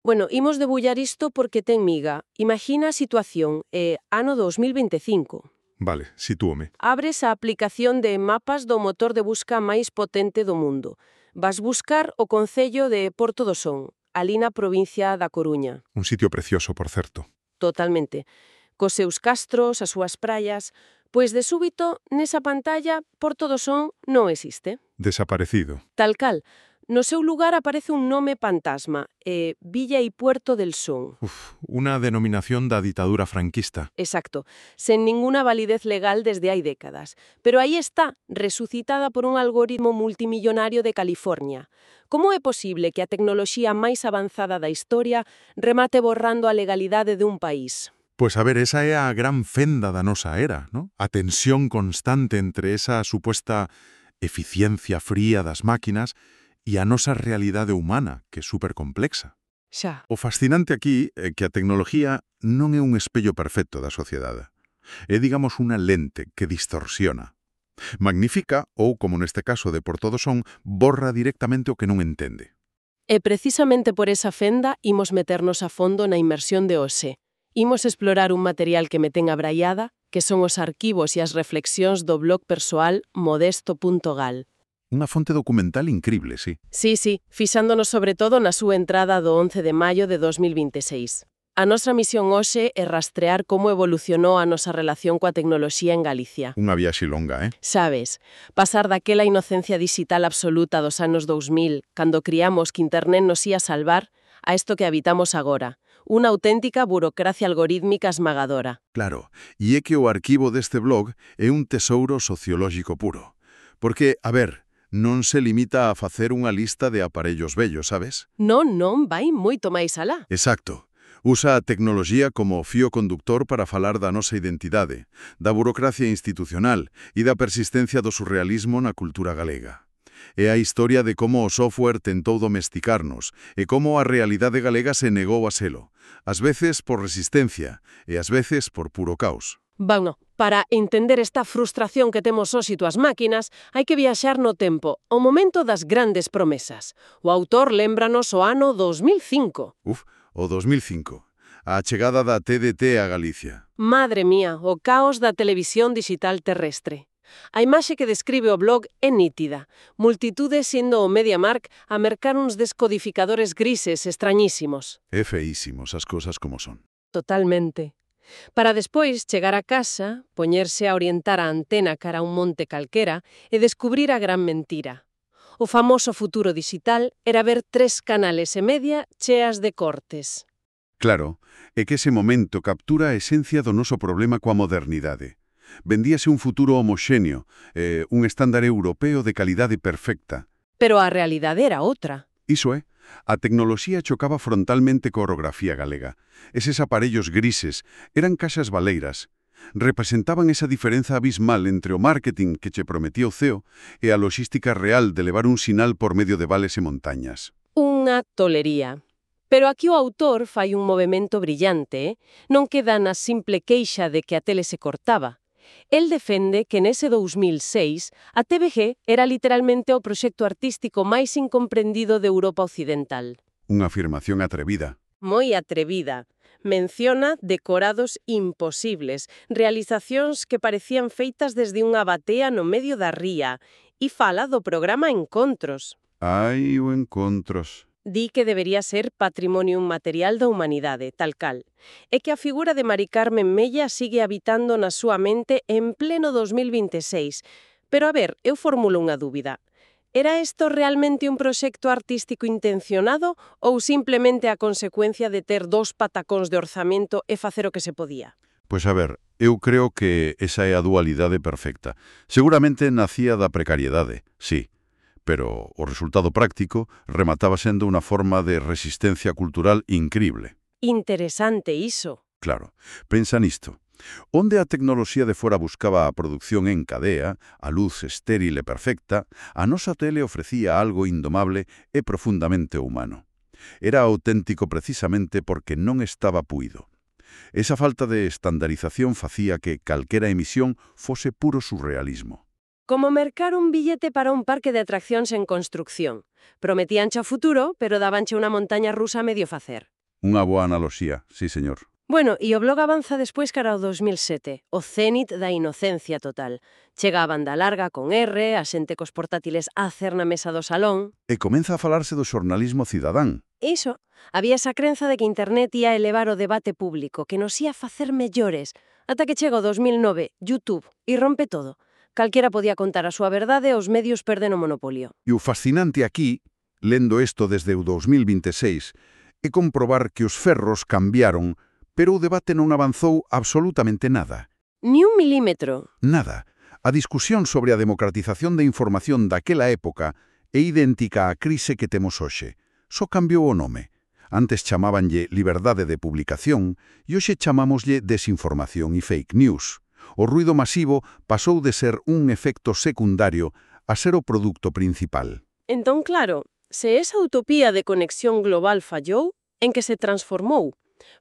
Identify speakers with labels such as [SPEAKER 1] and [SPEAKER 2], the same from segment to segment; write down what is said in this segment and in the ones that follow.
[SPEAKER 1] Bueno, imos debullar isto porque ten miga. Imagina a situación, ano 2025.
[SPEAKER 2] Vale, sitúome.
[SPEAKER 1] Abres a aplicación de mapas do motor de busca máis potente do mundo. Vas buscar o concello de Porto do Son, ali na provincia da Coruña.
[SPEAKER 2] Un sitio precioso, por certo.
[SPEAKER 1] Totalmente. Cos seus castros, as súas praias. Pois de súbito, nesa pantalla, Porto do Son non existe.
[SPEAKER 2] Desaparecido.
[SPEAKER 1] Tal cal. No seu lugar aparece un nome fantasma, Villa y Puerto del Son.
[SPEAKER 2] Una denominación da ditadura franquista.
[SPEAKER 1] Exacto, sen ninguna validez legal desde hai décadas. Pero aí está, resucitada por un algoritmo multimillonario de California. Como é posible que a tecnoloxía máis avanzada da historia remate borrando a legalidade dun país?
[SPEAKER 2] Pois a ver, esa é a gran fenda da nosa era, ¿no? A tensión constante entre esa supuesta eficiencia fría das máquinas e a nosa realidade humana, que é supercomplexa.
[SPEAKER 1] Xa.
[SPEAKER 2] O fascinante aquí é que a tecnología non é un espello perfecto da sociedade. É, digamos, unha lente que distorsiona. Magnifica ou, como neste caso de Porto do Son, borra directamente o que non entende.
[SPEAKER 1] E precisamente por esa fenda imos meternos a fondo na inmersión de hoxe. Imos explorar un material que me ten abraiada, que son os arquivos e as reflexións do blog persoal modesto.gal.
[SPEAKER 2] Unha fonte documental incrible, sí.
[SPEAKER 1] Sí, fixándonos sobre todo na súa entrada do 11 de maio de 2026. A nosa misión hoxe é rastrear como evolucionou a nosa relación coa tecnoloxía en Galicia.
[SPEAKER 2] Unha viaxe longa,
[SPEAKER 1] Sabes, pasar daquela inocencia digital absoluta dos anos 2000, cando criamos que internet nos ia salvar, a isto que habitamos agora. Unha auténtica burocracia algorítmica esmagadora.
[SPEAKER 2] Claro, e é que o arquivo deste blog é un tesouro sociolóxico puro. Porque, a ver, non se limita a facer unha lista de aparellos vellos, sabes?
[SPEAKER 1] Non, vai moito máis alá.
[SPEAKER 2] Exacto. Usa a tecnoloxía como fío conductor para falar da nosa identidade, da burocracia institucional e da persistencia do surrealismo na cultura galega. É a historia de como o software tentou domesticarnos e como a realidade galega se negou a selo, ás veces por resistencia e ás veces por puro caos.
[SPEAKER 1] Bueno, para entender esta frustración que temos hoxe as máquinas, hai que viaxar no tempo, ao momento das grandes promesas. O autor lémbranos o ano 2005.
[SPEAKER 2] O 2005. A chegada da TDT a Galicia.
[SPEAKER 1] Madre mía, o caos da televisión digital terrestre. A imaxe que describe o blog é nítida. Multitudes sendo o MediaMarkt a mercar uns descodificadores grises extrañísimos.
[SPEAKER 2] É feísimos as cousas como son.
[SPEAKER 1] Totalmente. Para despois chegar a casa, poñerse a orientar a antena cara a un monte calquera e descubrir a gran mentira. O famoso futuro digital era ver 3 canales e media cheas de cortes.
[SPEAKER 2] Claro, é que ese momento captura a esencia do noso problema coa modernidade. Vendíase un futuro homoxéneo, un estándar europeo de calidade perfecta.
[SPEAKER 1] Pero a realidade era outra.
[SPEAKER 2] Iso é, a tecnoloxía chocaba frontalmente coa orografía galega. Eses aparellos grises eran caixas baleiras. Representaban esa diferenza abismal entre o marketing que che prometía o CEO e a logística real de levar un sinal por medio de vales e montañas.
[SPEAKER 1] Unha tolería. Pero aquí o autor fai un movimento brillante, non queda na simple queixa de que a tele se cortaba. El defende que nese 2006 a TVG era literalmente o proxecto artístico máis incomprendido de Europa Occidental.
[SPEAKER 2] Unha afirmación atrevida.
[SPEAKER 1] Moi atrevida. Menciona decorados imposibles, realizacións que parecían feitas desde unha batea no medio da ría, e fala do programa Encontros.
[SPEAKER 2] Ai, o Encontros.
[SPEAKER 1] Di que debería ser patrimonio inmaterial da humanidade, tal cal. É que a figura de Mari Carmen Mella sigue habitando na súa mente en pleno 2026. Pero a ver, eu formulo unha dúbida. Era isto realmente un proxecto artístico intencionado ou simplemente a consecuencia de ter 2 patacóns de orzamento e facer o que se podía?
[SPEAKER 2] Pois a ver, eu creo que esa é a dualidade perfecta. Seguramente nacía da precariedade, sí. Pero o resultado práctico remataba sendo unha forma de resistencia cultural incrible.
[SPEAKER 1] Interesante iso.
[SPEAKER 2] Claro, pensa nisto. Onde a tecnoloxía de fora buscaba a produción en cadea, a luz estéril e perfecta, a nosa tele ofrecía algo indomable e profundamente humano. Era auténtico precisamente porque non estaba puído. Esa falta de estandarización facía que calquera emisión fose puro surrealismo.
[SPEAKER 1] Como mercar un billete para un parque de atraccións en construcción. Prometíanche o futuro, pero dabanche unha montaña rusa a medio facer.
[SPEAKER 2] Unha boa analoxía, sí, señor.
[SPEAKER 1] Bueno, e o blog avanza despois cara ao 2007, o cénit da inocencia total. Chega a banda larga con R, a xente cos portátiles a hacer na mesa do salón.
[SPEAKER 2] E comeza a falarse do xornalismo cidadán.
[SPEAKER 1] Iso, había esa crenza de que internet ia elevar o debate público, que nos ia facer mellores, ata que chega o 2009, YouTube, e rompe todo. Calquera podía contar a súa verdade e os medios perden o monopolio.
[SPEAKER 2] E o fascinante aquí, lendo isto desde o 2026, é comprobar que os ferros cambiaron, pero o debate non avanzou absolutamente nada.
[SPEAKER 1] Ni un milímetro.
[SPEAKER 2] Nada. A discusión sobre a democratización de información daquela época é idéntica á crise que temos hoxe. Só cambiou o nome. Antes chamábanlle liberdade de publicación e hoxe chamámoslle desinformación e fake news. O ruido masivo pasou de ser un efecto secundario a ser o produto principal.
[SPEAKER 1] Entón, claro, se esa utopía de conexión global fallou, en que se transformou?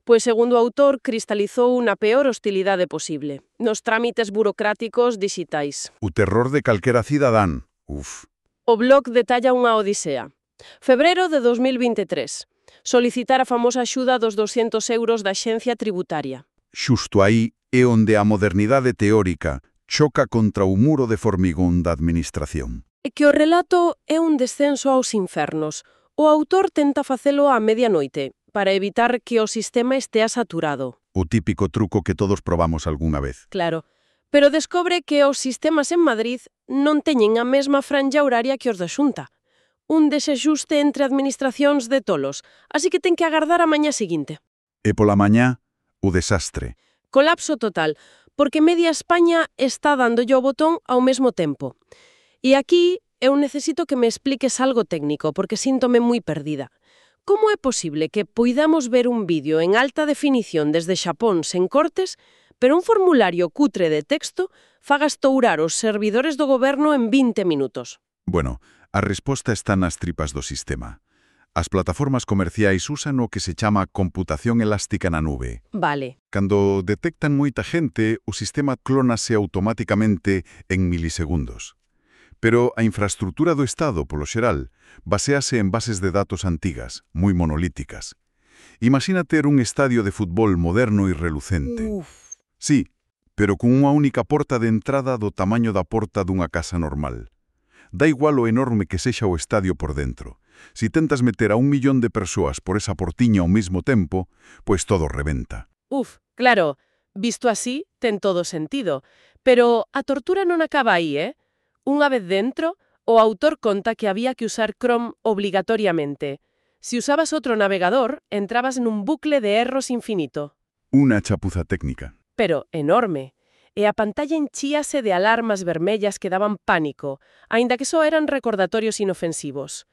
[SPEAKER 1] Pois, segundo o autor, cristalizou na peor hostilidade posible, nos trámites burocráticos dixitais.
[SPEAKER 2] O terror de calquera cidadán. Uf.
[SPEAKER 1] O blog detalla unha odisea. Febrero de 2023. Solicitar a famosa axuda dos 200 euros da Axencia Tributaria.
[SPEAKER 2] Xusto aí é onde a modernidade teórica choca contra o muro de formigón da administración.
[SPEAKER 1] E que o relato é un descenso aos infernos. O autor tenta facelo á medianoite, para evitar que o sistema estea saturado.
[SPEAKER 2] O típico truco que todos probamos algunha vez.
[SPEAKER 1] Claro, pero descobre que os sistemas en Madrid non teñen a mesma franja horaria que os da Xunta. Un desexuste entre administracións de tolos, así que ten que agardar a mañá seguinte.
[SPEAKER 2] E pola mañá, o desastre.
[SPEAKER 1] Colapso total, porque media España está dándolle o botón ao mesmo tempo. E aquí eu necesito que me expliques algo técnico, porque síntome moi perdida. Como é posible que poidamos ver un vídeo en alta definición desde Xapón sen cortes, pero un formulario cutre de texto faga estourar os servidores do goberno en 20 minutos?
[SPEAKER 2] Bueno, a resposta está nas tripas do sistema. As plataformas comerciais usan o que se chama computación elástica na nube.
[SPEAKER 1] Vale.
[SPEAKER 2] Cando detectan moita xente, o sistema clónase automáticamente en milisegundos. Pero a infraestructura do Estado, polo xeral, basease en bases de datos antigas, moi monolíticas. Imagina ter un estadio de fútbol moderno e relucente.
[SPEAKER 1] Uf.
[SPEAKER 2] Sí, pero con unha única porta de entrada do tamaño da porta dunha casa normal. Da igual o enorme que sexa o estadio por dentro. Si tentas meter a 1 millón de persoas por esa portiña ao mesmo tempo, pois todo rebenta.
[SPEAKER 1] Uf, claro, visto así, ten todo sentido. Pero a tortura non acaba aí, eh? Unha vez dentro, o autor conta que había que usar Chrome obligatoriamente. Si usabas outro navegador, entrabas nun bucle de erros infinito.
[SPEAKER 2] Unha chapuza técnica.
[SPEAKER 1] Pero enorme. E a pantalla enchíase de alarmas vermellas que daban pánico, aínda que só eran recordatorios inofensivos.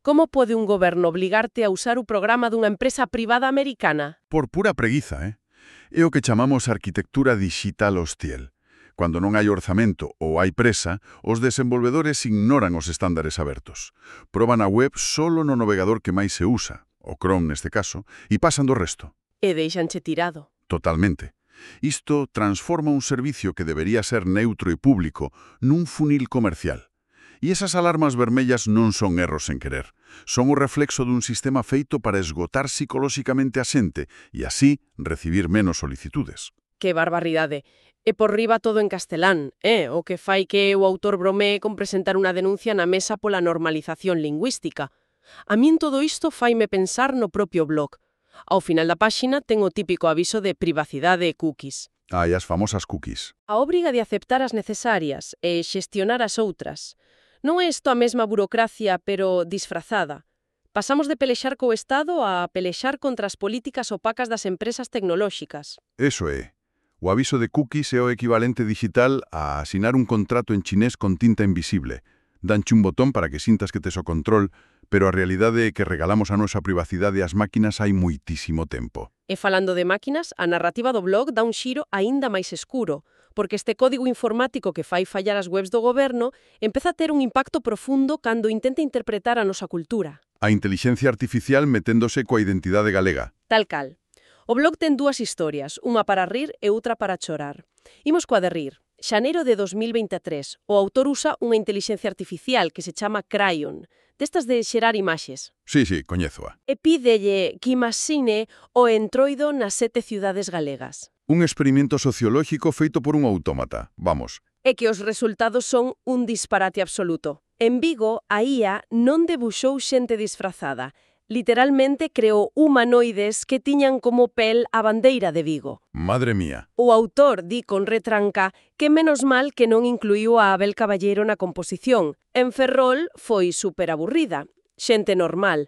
[SPEAKER 1] Como pode un goberno obligarte a usar o programa dunha empresa privada americana?
[SPEAKER 2] Por pura preguiza, É o que chamamos arquitectura digital hostil. Cando non hai orzamento ou hai presa, os desenvolvedores ignoran os estándares abertos. Proban a web solo no navegador que máis se usa, o Chrome neste caso, e pasan do resto.
[SPEAKER 1] E deixanche tirado.
[SPEAKER 2] Totalmente. Isto transforma un servicio que debería ser neutro e público nun funil comercial. E esas alarmas vermellas non son erros sen querer. Son o reflexo dun sistema feito para esgotar psicolóxicamente a xente e así recibir menos solicitudes.
[SPEAKER 1] Que barbaridade. E por riba todo en castelán, o que fai que o autor bromee con presentar unha denuncia na mesa pola normalización lingüística. A min todo isto faime pensar no propio blog. Ao final da páxina ten o típico aviso de privacidade e cookies.
[SPEAKER 2] E as famosas cookies.
[SPEAKER 1] A obriga de aceptar as necesarias e xestionar as outras. Non é isto a mesma burocracia, pero disfrazada. Pasamos de pelexar co Estado a pelexar contra as políticas opacas das empresas tecnolóxicas.
[SPEAKER 2] Eso é. O aviso de cookies é o equivalente digital a asinar un contrato en chinés con tinta invisible. Danche un botón para que sintas que tes o control, pero a realidade é que regalamos a nosa privacidade ás máquinas hai moitísimo tempo.
[SPEAKER 1] E falando de máquinas, a narrativa do blog dá un xiro aínda máis escuro, porque este código informático que fai fallar as webs do goberno empeza a ter un impacto profundo cando intenta interpretar a nosa cultura.
[SPEAKER 2] A intelixencia artificial meténdose coa identidade galega.
[SPEAKER 1] Tal cal. O blog ten dúas historias, unha para rir e outra para chorar. Imos coa de rir. xaneiro de 2023, o autor usa unha inteligencia artificial que se chama Cryon, destas de xerar imaxes.
[SPEAKER 2] Sí, coñézoa.
[SPEAKER 1] E pídelle que imaxine o entroido nas 7 ciudades galegas.
[SPEAKER 2] Un experimento sociolóxico feito por un autómata, vamos.
[SPEAKER 1] E que os resultados son un disparate absoluto. En Vigo, a IA non debuxou xente disfrazada. Literalmente creou humanoides que tiñan como pel a bandeira de Vigo.
[SPEAKER 2] Madre mía.
[SPEAKER 1] O autor di con retranca que menos mal que non incluíu a Abel Caballero na composición. En Ferrol foi superaburrida, xente normal.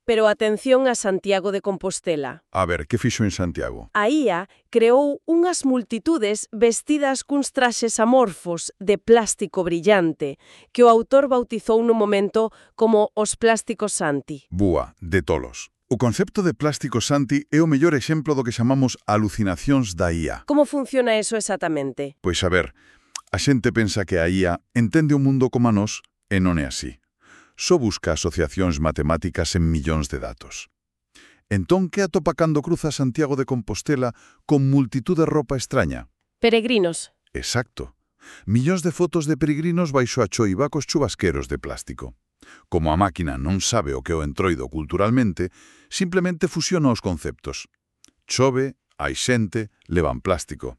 [SPEAKER 1] Pero atención a Santiago de Compostela.
[SPEAKER 2] A ver, que fixo en Santiago?
[SPEAKER 1] A IA creou unhas multitudes vestidas cuns traxes amorfos de plástico brillante que o autor bautizou no momento como os plásticos Santi.
[SPEAKER 2] Búa, de tolos. O concepto de plástico Santi é o mellor exemplo do que chamamos alucinacións da IA.
[SPEAKER 1] Como funciona eso exactamente?
[SPEAKER 2] Pois a ver, a xente pensa que a IA entende o mundo como a nós e non é así. Só busca asociacións matemáticas en millóns de datos. Entón, que atopa cando cruza Santiago de Compostela con multitud de roupa extraña?
[SPEAKER 1] Peregrinos.
[SPEAKER 2] Exacto. Millóns de fotos de peregrinos baixo a choiva cos chubasqueros de plástico. Como a máquina non sabe o que é o entroido culturalmente, simplemente fusiona os conceptos. Chove, hai xente, levan plástico.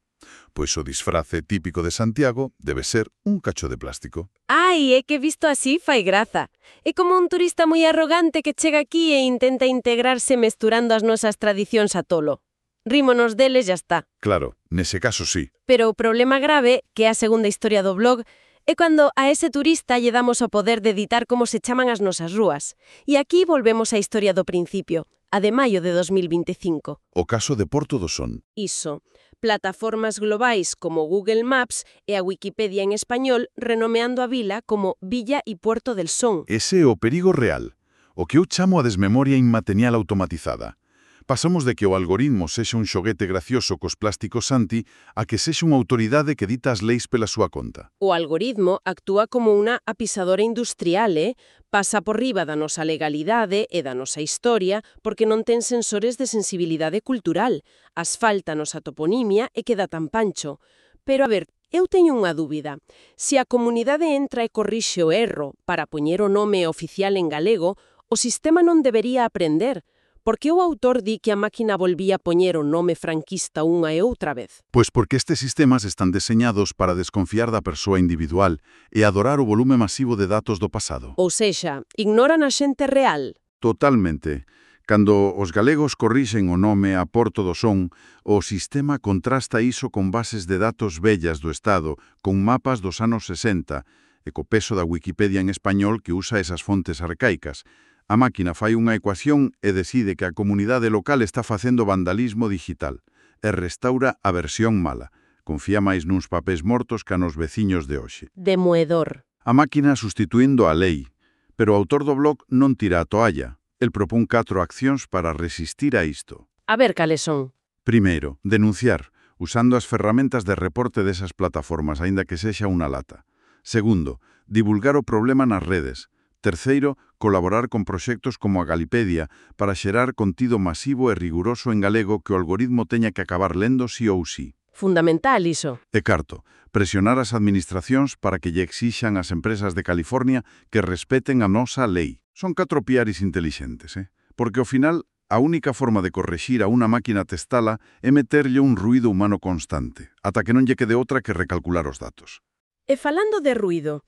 [SPEAKER 2] Pois o disfrace típico de Santiago debe ser un cacho de plástico.
[SPEAKER 1] Ai, é que visto así fai graza. É como un turista moi arrogante que chega aquí e intenta integrarse mesturando as nosas tradicións a tolo. Rímonos deles, ya está.
[SPEAKER 2] Claro, nese caso sí.
[SPEAKER 1] Pero o problema grave, que é a segunda historia do blog, é cando a ese turista lle damos o poder de editar como se chaman as nosas rúas. E aquí volvemos á historia do principio, a de maio de 2025.
[SPEAKER 2] O caso de Porto do Son.
[SPEAKER 1] Iso. Plataformas globais como Google Maps e a Wikipedia en español renomeando a vila como Villa y Puerto del Son.
[SPEAKER 2] Ese é o perigo real, o que eu chamo a desmemoria inmaterial automatizada. Pasamos de que o algoritmo sexa un xoguete gracioso cos plásticos Santi a que sexa unha autoridade que dita as leis pela súa conta.
[SPEAKER 1] O algoritmo actúa como unha apisadora industrial, pasa por riba da nosa legalidade e da nosa historia porque non ten sensores de sensibilidade cultural, asfáltanos a toponimia e queda tan pancho. Pero a ver, eu teño unha dúbida. Se a comunidade entra e corrixe o erro para poñer o nome oficial en galego, o sistema non debería aprender. Por que o autor di que a máquina volvía a poñer o nome franquista unha e outra vez?
[SPEAKER 2] Pois porque estes sistemas están deseñados para desconfiar da persoa individual e adorar o volume masivo de datos do pasado.
[SPEAKER 1] Ou sexa, ignoran a xente real.
[SPEAKER 2] Totalmente. Cando os galegos corrixen o nome a Porto do Son, o sistema contrasta iso con bases de datos vellas do Estado, con mapas dos anos 60, e co peso da Wikipedia en español que usa esas fontes arcaicas. A máquina fai unha ecuación e decide que a comunidade local está facendo vandalismo digital e restaura a versión mala. Confía máis nuns papéis mortos que nos veciños de hoxe.
[SPEAKER 1] Demoedor.
[SPEAKER 2] A máquina sustituindo a lei, pero o autor do blog non tira a toalla. El propón 4 accións para resistir a isto.
[SPEAKER 1] A ver cales son.
[SPEAKER 2] Primeiro, denunciar, usando as ferramentas de reporte desas plataformas, aínda que sexa unha lata. Segundo, divulgar o problema nas redes. Terceiro, colaborar con proxectos como a Galipedia para xerar contido masivo e riguroso en galego que o algoritmo teña que acabar lendo sí ou sí.
[SPEAKER 1] Fundamental iso.
[SPEAKER 2] E carto, presionar as administracións para que lle exixan ás empresas de California que respeten a nosa lei. Son 4 piares intelixentes, porque ao final a única forma de correxir a unha máquina testala é meterlle un ruído humano constante, ata que non lle quede outra que recalcular os datos.
[SPEAKER 1] E falando de ruído,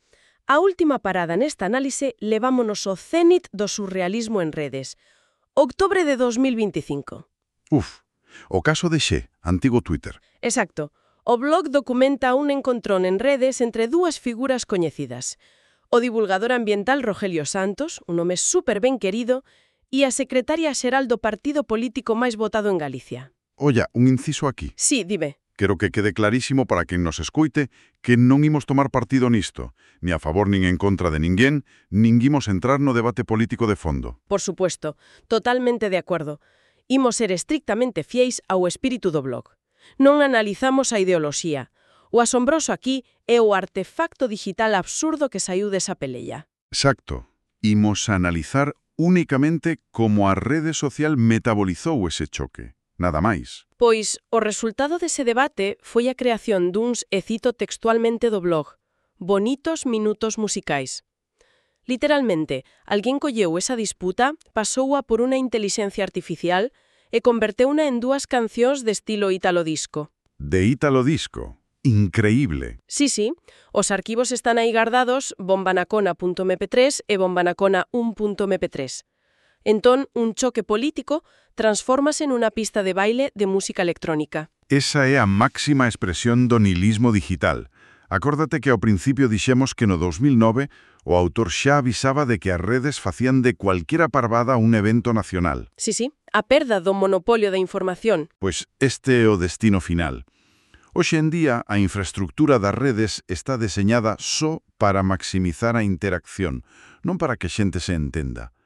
[SPEAKER 1] a última parada nesta análise levámonos ao cénit do surrealismo en redes. Octubre de 2025.
[SPEAKER 2] O caso de Xe, antigo Twitter.
[SPEAKER 1] Exacto. O blog documenta un encontrón en redes entre dúas figuras coñecidas. O divulgador ambiental Rogelio Santos, un home super ben querido, e a secretaria xeral do partido político máis votado en Galicia.
[SPEAKER 2] Olla, un inciso aquí.
[SPEAKER 1] Sí, dime.
[SPEAKER 2] Quero que quede clarísimo para quen nos escoite que non imos tomar partido nisto, ni a favor nin en contra de ninguén, nin imos entrar no debate político de fondo.
[SPEAKER 1] Por supuesto, totalmente de acordo. Imos ser estrictamente fiéis ao espírito do blog. Non analizamos a ideoloxía. O asombroso aquí é o artefacto digital absurdo que saiu desa pelella.
[SPEAKER 2] Exacto. Imos a analizar únicamente como a rede social metabolizou ese choque. nada máis.
[SPEAKER 1] Pois o resultado dese debate foi a creación duns, e cito textualmente do blog, bonitos minutos musicais. Literalmente, alguén colleu esa disputa, pasoua por unha intelixencia artificial e converteuna en dúas cancións de estilo ítalo disco.
[SPEAKER 2] De ítalo disco. Increíble.
[SPEAKER 1] Sí, os arquivos están aí guardados bombanacona.mp3 e bombanacona1.mp3. Entón, un choque político transfórmase nunha pista de baile de música electrónica.
[SPEAKER 2] Esa é a máxima expresión do nihilismo digital. Acórdate que ao principio dixemos que no 2009 o autor xa avisaba de que as redes facían de cualquiera parvada un evento nacional.
[SPEAKER 1] Sí, a perda do monopolio da información.
[SPEAKER 2] Pois este é o destino final. Hoxe en día, a infraestructura das redes está deseñada só para maximizar a interacción, non para que xente se entenda.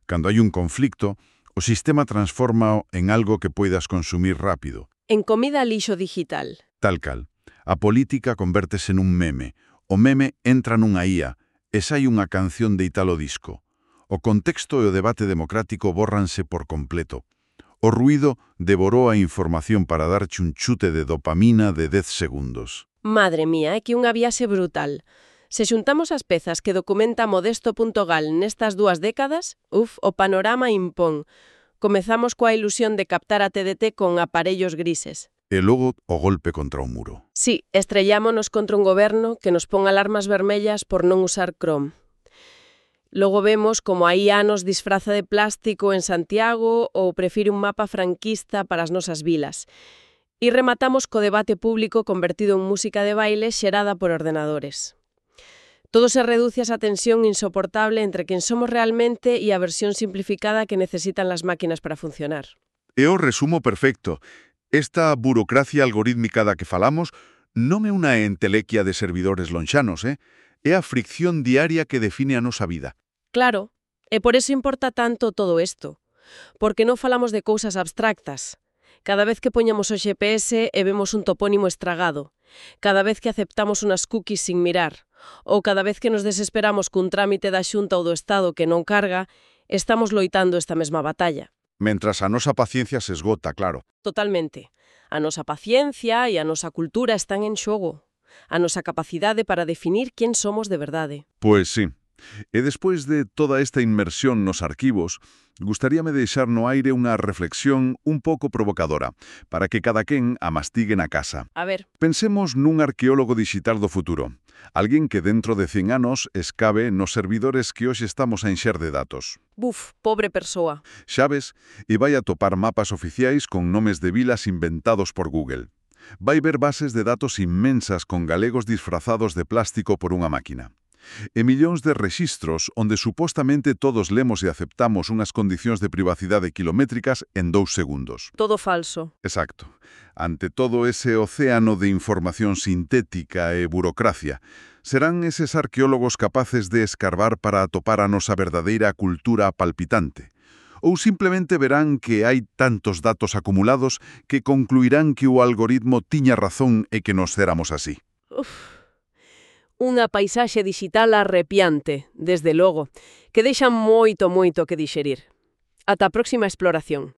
[SPEAKER 2] Cando hai un conflicto, o sistema transforma en algo que poidas consumir rápido.
[SPEAKER 1] En comida lixo digital.
[SPEAKER 2] Tal cal. A política convértese nun meme. O meme entra nunha IA e sai unha canción de ítalo disco. O contexto e o debate democrático bórranse por completo. O ruído devorou a información para darche un chute de dopamina de 10 segundos.
[SPEAKER 1] Madre mía, é que unha viaxe brutal. Se xuntamos as pezas que documenta Modesto.gal nestas 2 décadas, o panorama impón. Comezamos coa ilusión de captar a TDT con aparellos grises.
[SPEAKER 2] E logo o golpe contra o muro.
[SPEAKER 1] Sí, estrellámonos contra un goberno que nos pon alarmas vermellas por non usar Chrome. Logo vemos como hai anos disfraza de plástico en Santiago ou prefire un mapa franquista para as nosas vilas. E rematamos co debate público convertido en música de baile xerada por ordenadores. Todo se reduce a esa tensión insoportable entre quen somos realmente e a versión simplificada que necesitan las máquinas para funcionar.
[SPEAKER 2] É o resumo perfecto. Esta burocracia algorítmica da que falamos non é unha entelequia de servidores lonxanos, é a fricción diaria que define a nosa vida.
[SPEAKER 1] Claro, e por eso importa tanto todo isto, porque non falamos de cousas abstractas. Cada vez que poñamos o GPS e vemos un topónimo estragado, cada vez que aceptamos unas cookies sin mirar, ou cada vez que nos desesperamos cun trámite da Xunta ou do Estado que non carga, estamos loitando esta mesma batalla.
[SPEAKER 2] Mentras a nosa paciencia se esgota, claro.
[SPEAKER 1] Totalmente. A nosa paciencia e a nosa cultura están en xogo. A nosa capacidade para definir quen somos de verdade.
[SPEAKER 2] Pois sí. E despois de toda esta inmersión nos arquivos, gustaríame deixar no aire unha reflexión un pouco provocadora, para que cada quen a mastigue na casa.
[SPEAKER 1] A ver.
[SPEAKER 2] Pensemos nun arqueólogo digital do futuro. Alguén que dentro de 100 anos escabe nos servidores que hoxe estamos a encher de datos.
[SPEAKER 1] Buf, pobre persoa.
[SPEAKER 2] Xa ves, e vai a topar mapas oficiais con nomes de vilas inventados por Google. Vai ver bases de datos inmensas con galegos disfrazados de plástico por unha máquina. E millóns de rexistros onde supostamente todos lemos e aceptamos unhas condicións de privacidade quilométricas en 2 segundos.
[SPEAKER 1] Todo falso.
[SPEAKER 2] Exacto. Ante todo ese océano de información sintética e burocracia, serán eses arqueólogos capaces de escarbar para atopar a nosa verdadeira cultura palpitante? Ou simplemente verán que hai tantos datos acumulados que concluirán que o algoritmo tiña razón e que nos éramos así?
[SPEAKER 1] Unha paisaxe digital arrepiante, desde logo, que deixa moito que dixerir. Ata a próxima exploración.